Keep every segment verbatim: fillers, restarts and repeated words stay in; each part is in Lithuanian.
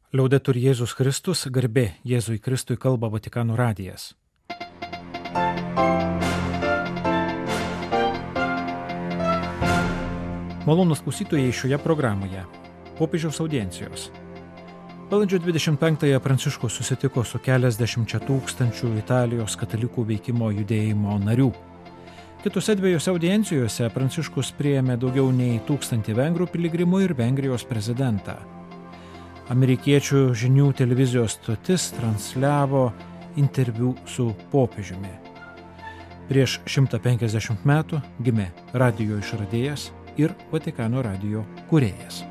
Liaudetur Jėzus Kristus, garbė Jėzui Kristui, kalba Vatikano radijas. Malonūs klausytojai šioje programoje. Popiežiaus audiencijos. Balandžio dvidešimt penktąją Pranciškus susitiko su keliasdešimčia tūkstančių Italijos katalikų veikimo judėjimo narių. Kitose dviejose audiencijose Pranciškus priėmė daugiau nei tūkstantį vengrų piligrimų ir Vengrijos prezidentą. Amerikiečių žinių televizijos stotis transliavo interviu su popiežiumi. Prieš šimtą penkiasdešimt metų gimė radijo išradėjas ir Vatikano radijo kūrėjas.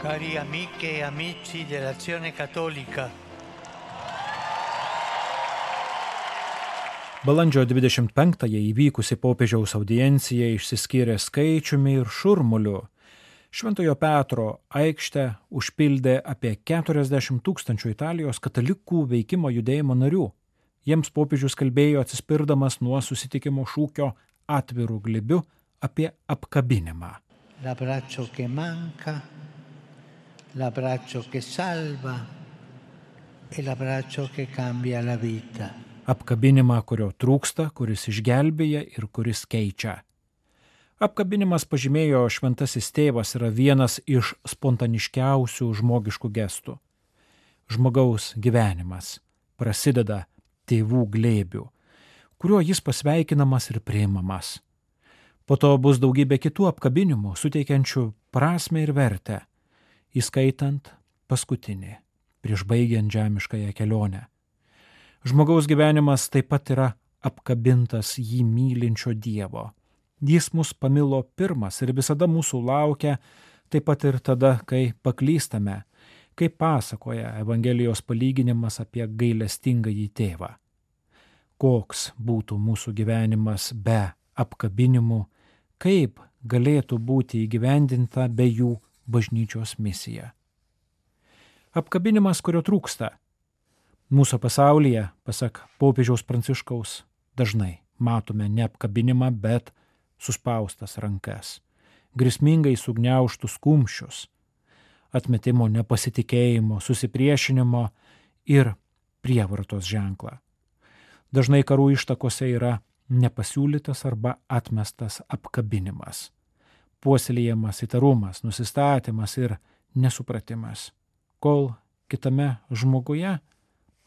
Cari amiche e amici dell'Azione Cattolica. Balandžio dvidešimt penktąją įvykusi popiežiaus audiencija išsiskyrė skaičiumi ir šurmuliu. Šventojo Petro aikštę užpildė apie keturiasdešimt tūkstančių Italijos katalikų veikimo judėjimo narių. Jiems popiežius kalbėjo atsispirdamas nuo susitikimo šūkio atviru glėbiu apie apkabinimą. L'abbraccio che manca, l'abbraccio che salva e l'abbraccio che cambia la vita. Apkabinimą, kurio trūksta, kuris išgelbėja ir kuris keičia. Apkabinimas, pažymėjo šventasis tėvas, yra vienas iš spontaniškiausių žmogiškų gestų. Žmogaus gyvenimas prasideda tėvų glėbių, kuriuo jis pasveikinamas ir priimamas. Po to bus daugybė kitų apkabinimų, suteikiančių prasmę ir vertę, įskaitant paskutinį, prieš baigiant žemiškąją kelionę. Žmogaus gyvenimas taip pat yra apkabintas jį mylinčio Dievo. Jis mus pamilo pirmas ir visada mūsų laukia, taip pat ir tada, kai paklystame, kaip pasakoja Evangelijos palyginimas apie gailestingąjį tėvą. Koks būtų mūsų gyvenimas be apkabinimų, kaip galėtų būti įgyvendinta be jų bažnyčios misija. Apkabinimas, kurio trūksta. Mūsų pasaulyje, pasak popiežiaus Pranciškaus, dažnai matome ne apkabinimą, bet suspaustas rankas, grėsmingai sugniaužtus kumščius, atmetimo, nepasitikėjimo, susipriešinimo ir prievartos ženklą. Dažnai karų ištakose yra nepasiūlytas arba atmestas apkabinimas, puoselėjamas įtarumas, nusistatymas ir nesupratimas, kol kitame žmoguje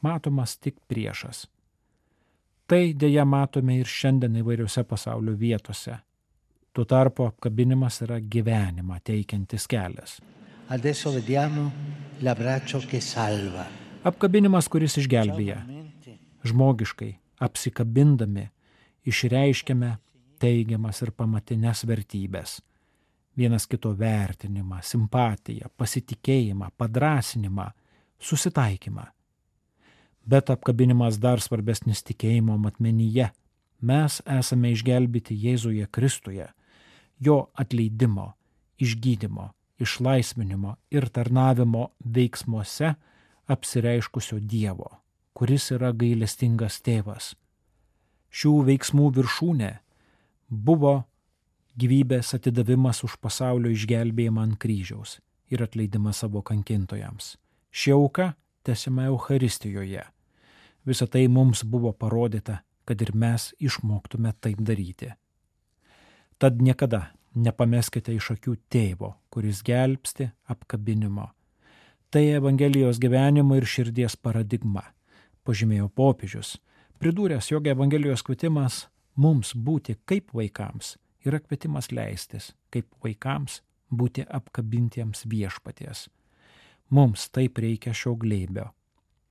matomas tik priešas. Tai dėja matome ir šiandien įvairiose pasaulio vietose. Tuo tarpu apkabinimas yra gyvenimą teikiantis kelias. Adesso vediamo l'abbraccio che salva. Apkabinimas, kuris išgelbėja. Žmogiškai, apsikabindami, išreiškiame teigiamas ir pamatinės vertybės. Vienas kito vertinimą, simpatiją, pasitikėjimą, padrąsinimą, susitaikymą. Bet apkabinimas dar svarbesnis tikėjimo matmenyje. Mes esame išgelbėti Jėzuje Kristuje, jo atleidimo, išgydymo, išlaisvinimo ir tarnavimo veiksmuose apsireiškusio Dievo, kuris yra gailestingas tėvas. Šių veiksmų viršūnė buvo gyvybės atidavimas už pasaulio išgelbėjimą ant kryžiaus ir atleidimas savo kankintojams. Ši auka tęsiama Eucharistijoje. Visą tai mums buvo parodyta, kad ir mes išmoktume taip daryti. Tad niekada nepameskite iš akių tėvo, kuris gelbsti apkabinimo. Tai Evangelijos gyvenimo ir širdies paradigma, pažymėjo popiežius, pridūręs, jog Evangelijos kvietimas mums būti kaip vaikams yra kvietimas leistis, kaip vaikams būti apkabintiems viešpaties. Mums taip reikia šio glėbio.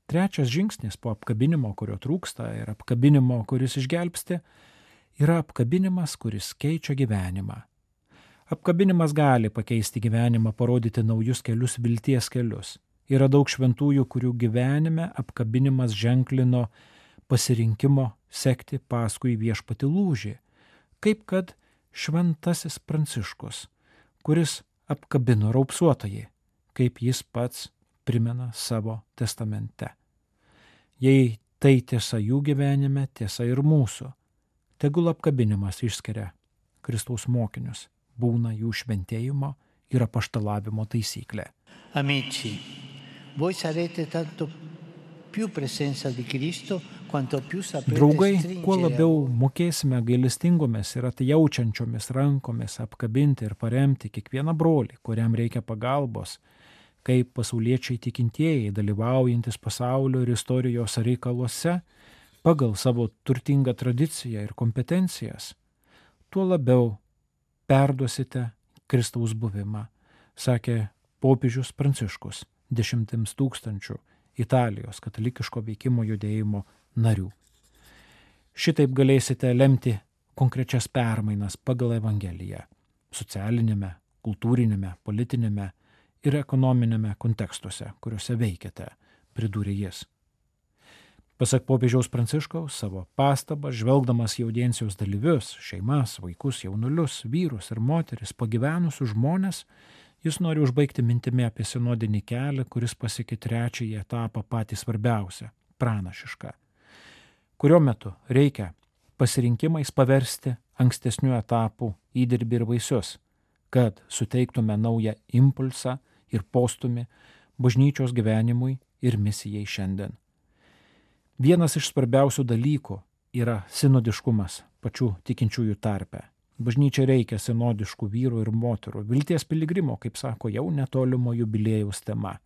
Trečias žingsnis po apkabinimo, kurio trūksta, ir apkabinimo, kuris išgelbsti, yra apkabinimas, kuris keičia gyvenimą. Apkabinimas gali pakeisti gyvenimą, parodyti naujus kelius, vilties kelius. Yra daug šventųjų, kurių gyvenime apkabinimas ženklino pasirinkimo sekti paskui viešpatį lūžį, kaip kad šventasis Pranciškus, kuris apkabino raupsuotojį, kaip jis pats primena savo testamente. Jei tai tiesa jų gyvenime, tiesa ir mūsų. Tegul apkabinimas išskiria Kristaus mokinius, būna jų šventėjimo ir apaštalavimo taisyklė. Amici, voi sarete tanto più presenza di Cristo quanto più saprete Draugai, stringere kuo a labiau voi mokėsime gailestingomis ir atjaučiančiomis rankomis apkabinti ir paremti kiekvieną brolį, kuriam reikia pagalbos, kaip pasauliečiai tikintieji, dalyvaujantis pasaulio ir istorijos reikaluose, pagal savo turtingą tradiciją ir kompetencijas, tuo labiau perduosite Kristaus buvimą, sakė popiežius Pranciškus dešimtims tūkstančių Italijos katalikiško veikimo judėjimo narių. Šitaip galėsite lemti konkrečias permainas pagal Evangeliją socialinėme, kultūrinėme, politinėme ir ekonominėme kontekstuose, kuriuose veikiate, pridūrė jis. Pasak popiežiaus Pranciškaus, savo pastabą, žvelgdamas į audiencijos dalyvius, šeimas, vaikus, jaunulius, vyrus ir moteris, pagyvenusius žmonės, jis nori užbaigti mintimi apie sinodinį kelią, kuris pasiekė trečiąjį etapą patį svarbiausią – pranašišką, kurio metu reikia pasirinkimais paversti ankstesnių etapų įdirbį ir vaisius, kad suteiktume naują impulsą ir postumį bažnyčios gyvenimui ir misijai šiandien. Vienas iš svarbiausių dalykų yra sinodiškumas pačių tikinčiųjų tarpe. Bažnyčia reikia sinodiškų vyrų ir moterų, vilties piligrimo, kaip sako jau netolimo jubiliejaus tema.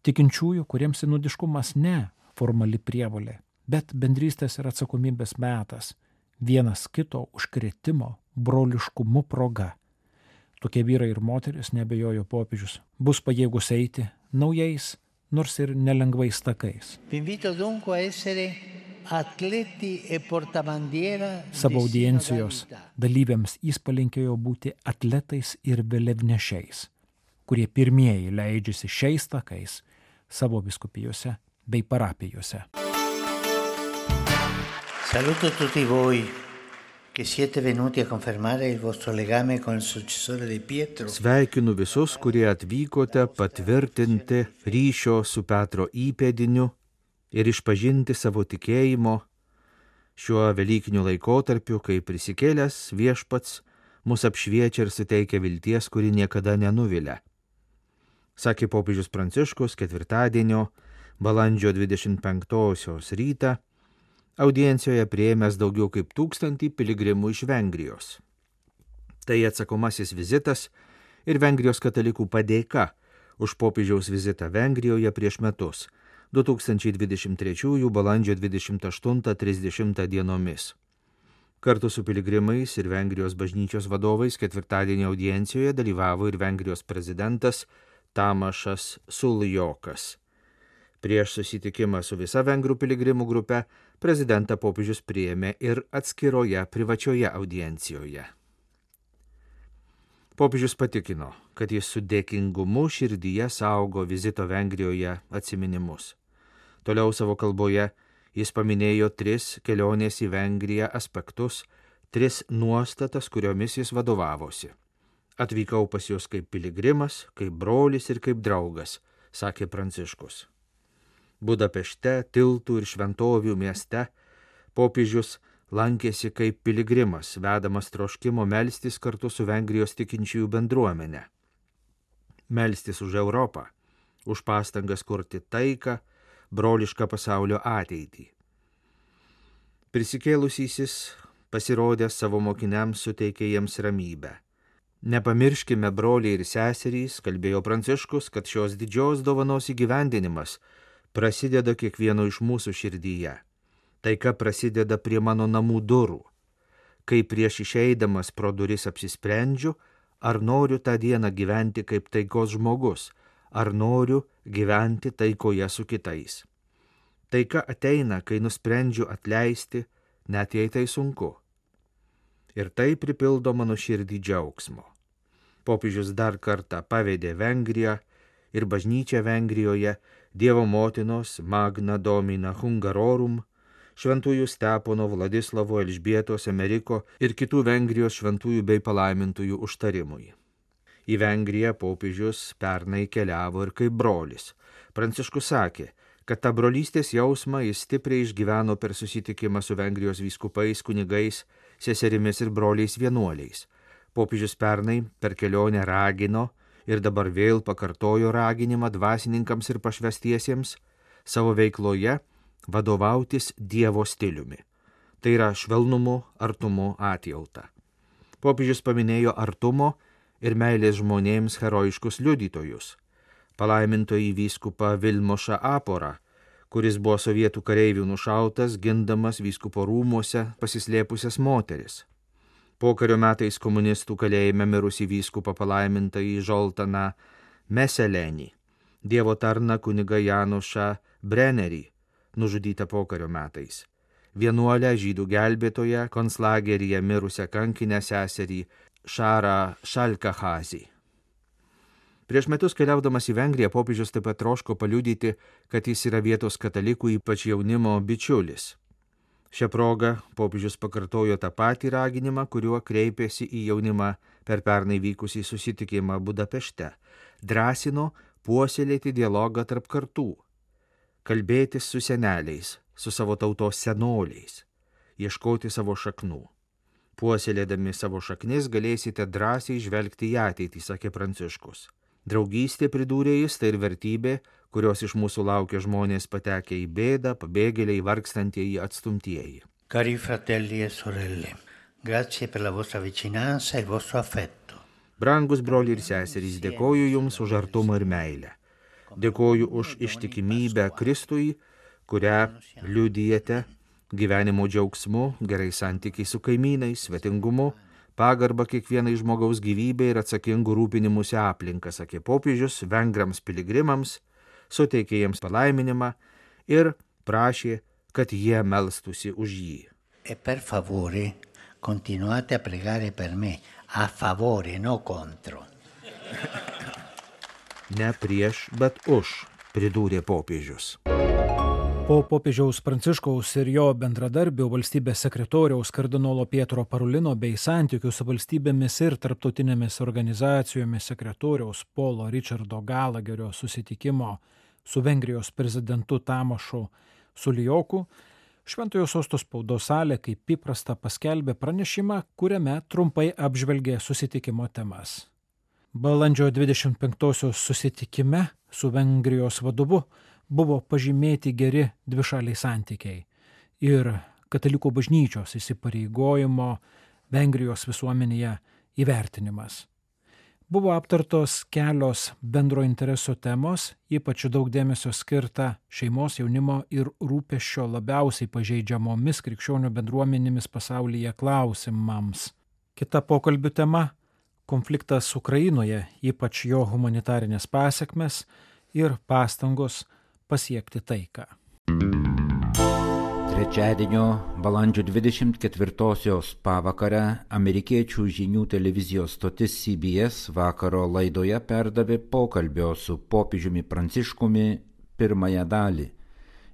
Tikinčiųjų, kuriems sinodiškumas ne formali prievolė, bet bendrystės ir atsakomybės metas, vienas kito užkrėtimo broliškumu proga. Tokie vyrai ir moteris, neabejojo popiežius, bus pajėgus eiti naujais, nors ir nelengvais takais. Vi invito dunque a essere atleti e portabandiera Savo di audiencijos sinodalità. dalyviams jis palinkėjo būti atletais ir vėliavnešiais, kurie pirmieji leidžiasi šiais takais savo vyskupijose bei parapijose. Saluto tutti voi che siete venuti a confermare il vostro legame con il successore di Pietro. Sveikinu visus, kurie atvykote patvirtinti ryšio su Petro įpėdiniu ir išpažinti savo tikėjimo šiuo velykiniu laikotarpiu, kai prisikėlęs viešpats mus apšviečia ir suteikia vilties, kuri niekada nenuvilia. Sakė popiežius Pranciškus ketvirtadienio, balandžio dvidešimt penktosios rytą, audiencijoje priėmęs daugiau kaip tūkstantį piligrimų iš Vengrijos. Tai atsakomasis vizitas ir Vengrijos katalikų padėka už popiežiaus vizitą Vengrijoje prieš metus, du tūkstančiai dvidešimt trečiųjų balandžio dvidešimt aštuntą trisdešimtą dienomis. Kartu su piligrimais ir Vengrijos bažnyčios vadovais ketvirtadienio audiencijoje dalyvavo ir Vengrijos prezidentas Tamašas Suljokas. Prieš susitikimą su visa vengrų piligrimų grupe prezidentą popiežius priėmė ir atskiroje privačioje audiencijoje. Popiežius patikino, kad jis su dėkingumu širdyje saugo vizito Vengrijoje atsiminimus. Toliau savo kalboje jis paminėjo tris kelionės į Vengriją aspektus, tris nuostatas, kuriomis jis vadovavosi. Atvykau pas jūs kaip piligrimas, kaip brolis ir kaip draugas, sakė Pranciškus. Budapešte, Tiltų ir Šventovių mieste popiežius lankėsi kaip piligrimas, vedamas troškimo melstis kartu su Vengrijos tikinčiųjų bendruomenė. Melstis už Europą, už pastangas kurti taiką, brolišką pasaulio ateitį. Prisikėlusysis pasirodęs savo mokiniams suteikė jiems ramybę. Nepamirškime, broliai ir seserys, kalbėjo Pranciškus, kad šios didžios dovanos įgyvendinimas prasideda kiekvieno iš mūsų širdyje. Taika prasideda prie mano namų durų. Kai prieš išeidamas pro duris apsisprendžiu, ar noriu tą dieną gyventi kaip taikos žmogus, ar noriu gyventi taikoje su kitais. Taika ateina, kai nusprendžiu atleisti, net jei tai sunku. Ir tai pripildo mano širdį džiaugsmo. Popiežius dar kartą pavedė Vengriją ir bažnyčią Vengrijoje Dievo motinos Magna Domina Hungarorum, šventųjų Stepono, Vladislavo, Elžbietos, Ameriko ir kitų Vengrijos šventųjų bei palaimintųjų užtarimui. Į Vengriją popiežius pernai keliavo ir kaip brolis. Pranciškus sakė, kad tą brolystės jausmą jis stipriai išgyveno per susitikimą su Vengrijos vyskupais, kunigais seserimis ir broliais vienuoliais. Popiežius pernai per kelionę ragino ir dabar vėl pakartojo raginimą dvasininkams ir pašvestiesiems savo veikloje vadovautis Dievo stiliumi. Tai yra švelnumu, artumu, atjauta. Popiežius paminėjo artumo ir meilės žmonėms herojiškus liudytojus. Palaimintojį vyskupą Vilmošą Aporą, kuris buvo sovietų kareivių nušautas, gindamas vyskupo rūmuose pasislėpusias moteris. Pokario metais komunistų kalėjime mirusį vyskupą palaimintąjį Žoltaną Meselenį, Dievo tarną kunigą Janušą Brennerį, nužudytą pokario metais, vienuolę žydų gelbėtoją konclageryje mirusią kankinę seserį Šarą Šalkahazį. Prieš metus keliaudamas į Vengriją, popiežius taip pat troško paliudyti, kad jis yra vietos katalikų, ypač jaunimo bičiulis. Šią progą popiežius pakartojo tą patį raginimą, kuriuo kreipėsi į jaunimą per pernai vykusį susitikimą Budapešte. Drąsino puoselėti dialogą tarp kartų, kalbėtis su seneliais, su savo tautos senoliais, ieškoti savo šaknų. Puoselėdami savo šaknis galėsite drąsiai žvelgti į ateitį, sakė Pranciškus. Draugystė, pridūrė jis, tai ir vertybė, kurios iš mūsų laukia žmonės patekę į bėdą, pabėgėliai, vargstantieji, atstumtieji. Cari fratelli e sorelle, grazie per la vostra vicinanza e il vostro affetto. Brangus broliai ir seserys, dėkoju jums už artumą ir meilę. Dėkoju už ištikimybę Kristui, kurią liudijate gyvenimo džiaugsmu, gerai santykiai su kaimynais, svetingumu, pagarba kiekvienai žmogaus gyvybė ir atsakingų rūpinimusi aplinka, sakė popiežius vengrams piligrimams, suteikė jiems palaiminimą ir prašė, kad jie melstųsi už jį. E per favore, continuate a pregare per me, a favore, no contro. Ne prieš, bet už, pridūrė popiežius. Po popiežiaus Pranciškaus ir jo bendradarbio valstybės sekretoriaus kardinolo Pietro Parulino bei santykių su valstybėmis ir tarptautinėmis organizacijomis sekretoriaus Polo Richardo Galagerio susitikimo su Vengrijos prezidentu Tamošu Sulijoku, Šventojo Sosto spaudos salė kaip įprasta paskelbė pranešimą, kuriame trumpai apžvelgė susitikimo temas. Balandžio dvidešimt penktosios susitikime su Vengrijos vadovu buvo pažymėti geri dvišaliai santykiai ir katalikų bažnyčios įsipareigojimo Vengrijos visuomenėje įvertinimas. Buvo aptartos kelios bendro intereso temos, ypač daug dėmesio skirta šeimos, jaunimo ir rūpesčio labiausiai pažeidžiamomis krikščionių bendruomenėmis pasaulyje klausimams. Kita pokalbių tema – konfliktas Ukrainoje, ypač jo humanitarinės pasekmes ir pastangos pasiekti taiką. Trečiadienio balandžio dvidešimt ketvirtosios pavakarę amerikiečių žinių televizijos stotis C B S vakaro laidoje perdavė pokalbio su popiežiumi Pranciškumi pirmąją dalį.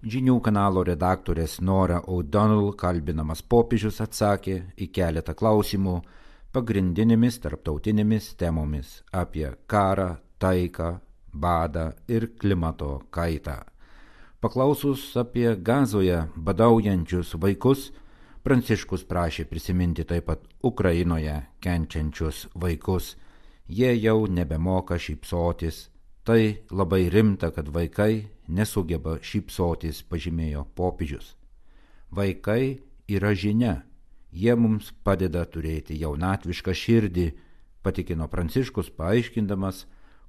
Žinių kanalo redaktorės Nora O'Donnell kalbinamas popiežius atsakė į keletą klausimų pagrindinėmis tarptautinėmis temomis apie karą, taiką, badą ir klimato kaitą. Paklausus apie Gazoje badaujančius vaikus, Pranciškus prašė prisiminti taip pat Ukrainoje kenčiančius vaikus. Jie jau nebemoka šypsotis. Tai labai rimta, kad vaikai nesugeba šypsotis, pažymėjo popiežius. Vaikai yra žinia. Jie mums padeda turėti jaunatvišką širdį, patikino Pranciškus, paaiškindamas,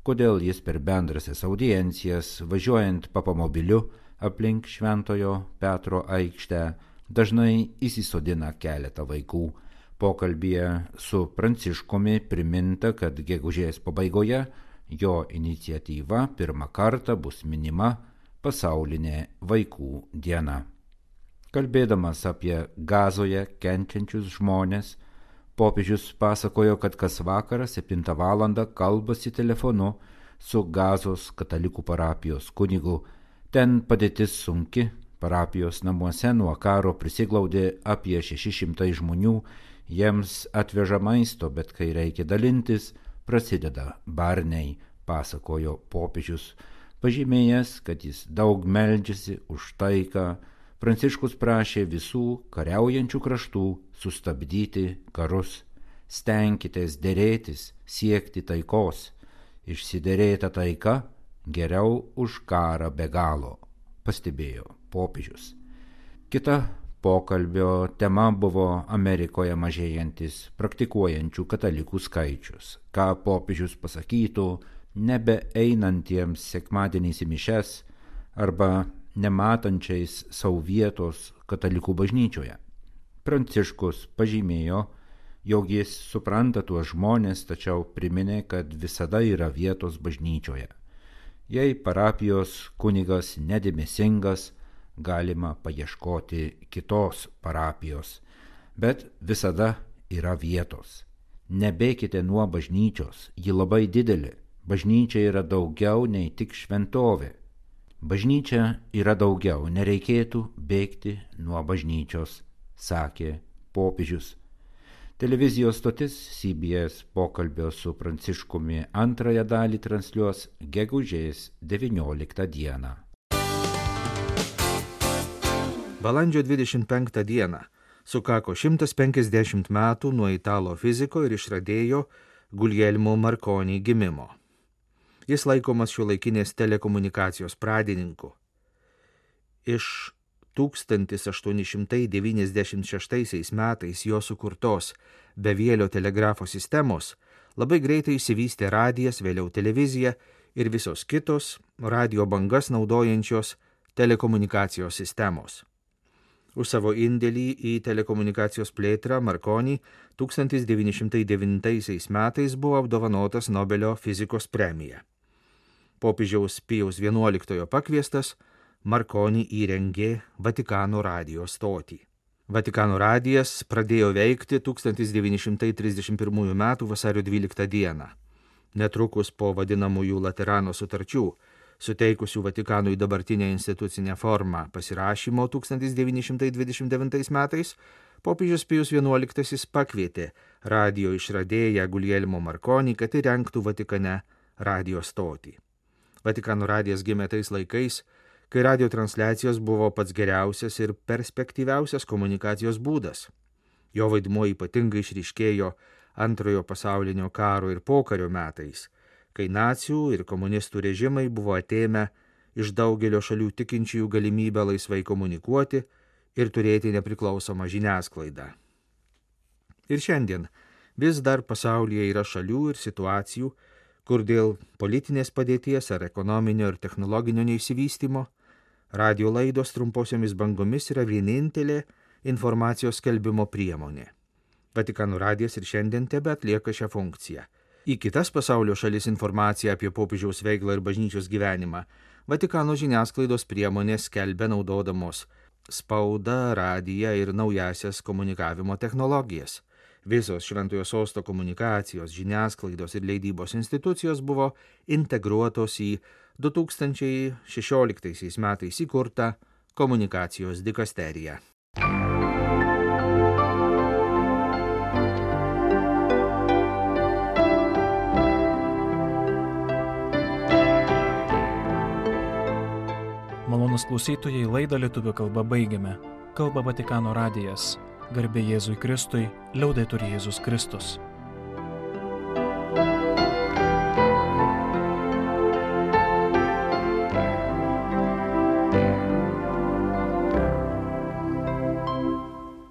kodėl jis per bendrasias audiencijas, važiuojant papamobiliu aplink Šventojo Petro aikštę, dažnai įsisodina keletą vaikų. Pokalbyje su Pranciškumi priminta, kad gegužės pabaigoje jo iniciatyva pirmą kartą bus minima pasaulinė vaikų diena. Kalbėdamas apie Gazoje kenčiančius žmones, popiežius pasakojo, kad kas vakarą septintą valandą kalbasi telefonu su Gazos katalikų parapijos kunigu. Ten padėtis sunki, parapijos namuose nuo karo prisiglaudė apie šeši šimtai žmonių, jiems atveža maisto, bet kai reikia dalintis, prasideda barniai, pasakojo popiežius, pažymėjęs, kad jis daug meldžiasi už taiką, Pranciškus prašė visų kariaujančių kraštų sustabdyti karus. Stenkitės dėrėtis, siekti taikos. Išsiderėta taika geriau už karą be galo, pastebėjo popiežius. Kita pokalbio tema buvo Amerikoje mažėjantis praktikuojančių katalikų skaičius. Ką popiežius pasakytų nebeeinantiems sekmadieniais į mišes arba nematančiais savo vietos katalikų bažnyčioje. Pranciškus pažymėjo, jog jis supranta tuos žmonės, tačiau priminė, kad visada yra vietos bažnyčioje. Jei parapijos kunigas nedėmesingas, galima paieškoti kitos parapijos, bet visada yra vietos. Nebėkite nuo bažnyčios, ji labai didelė. Bažnyčia yra daugiau nei tik šventovė. Bažnyčia yra daugiau, nereikėtų bėgti nuo bažnyčios, sakė popiežius. Televizijos stotis C B S pokalbio su Pranciškumi antrąją dalį transliuos gegužės devynioliktą dieną. Balandžio dvidešimt penktą dieną sukako šimtas penkiasdešimt metų nuo italo fiziko ir išradėjo Guglielmo Marconi gimimo. Jis laikomas šiuolaikinės telekomunikacijos pradininku. Iš tūkstantis aštuoni šimtai devyniasdešimt šeštaisiais metais jo sukurtos bevėlio telegrafo sistemos labai greitai išsivystė radijas, vėliau televizija ir visos kitos radio bangas naudojančios telekomunikacijos sistemos. Už savo indėlį į telekomunikacijos plėtrą Marconi tūkstantis devyni šimtai devintaisiais metais buvo apdovanotas Nobelio fizikos premija. Popiežiaus Pijaus vienuoliktojo pakviestas, Marconi įrengė Vatikano radijo stotį. Vatikano radijas pradėjo veikti tūkstantis devyni šimtai trisdešimt pirmųjų metų vasario dvyliktą dieną. Netrukus po vadinamųjų Laterano sutarčių, suteikusių Vatikanui dabartinę institucinę formą pasirašymo tūkstantis devyni šimtai dvidešimt devintais metais, popiežius Pijus vienuoliktasis pakvietė radijo išradėją Guglielmo Marconi, kad įrengtų Vatikane radijo stotį. Vatikano radijas gimė tais laikais, kai radio transliacijos buvo pats geriausias ir perspektyviausias komunikacijos būdas. Jo vaidmuo ypatingai išryškėjo antrojo pasaulinio karo ir pokario metais, kai nacių ir komunistų režimai buvo atėmę iš daugelio šalių tikinčiųjų galimybę laisvai komunikuoti ir turėti nepriklausomą žiniasklaidą. Ir šiandien vis dar pasaulyje yra šalių ir situacijų, kur dėl politinės padėties ar ekonominio ir technologinio neišsivystymo radio laidos trumposiomis bangomis yra vienintelė informacijos skelbimo priemonė. Vatikano radijas ir šiandien tebe atlieka šią funkciją. Į kitas pasaulio šalis informaciją apie popiežiaus veiklą ir bažnyčios gyvenimą Vatikano žiniasklaidos priemonės skelbia naudodamos spaudą, radiją ir naujasias komunikavimo technologijas. Visos Šventojo Sosto komunikacijos, žiniasklaidos ir leidybos institucijos buvo integruotos į du tūkstančiai šešioliktaisiais metais įkurtą komunikacijos dikasteriją. Malonūs klausytojai, laidą lietuvių kalba baigiame. Kalba Vatikano radijas. Garbė Jėzui Kristui, liaudetur Jėzus Kristus.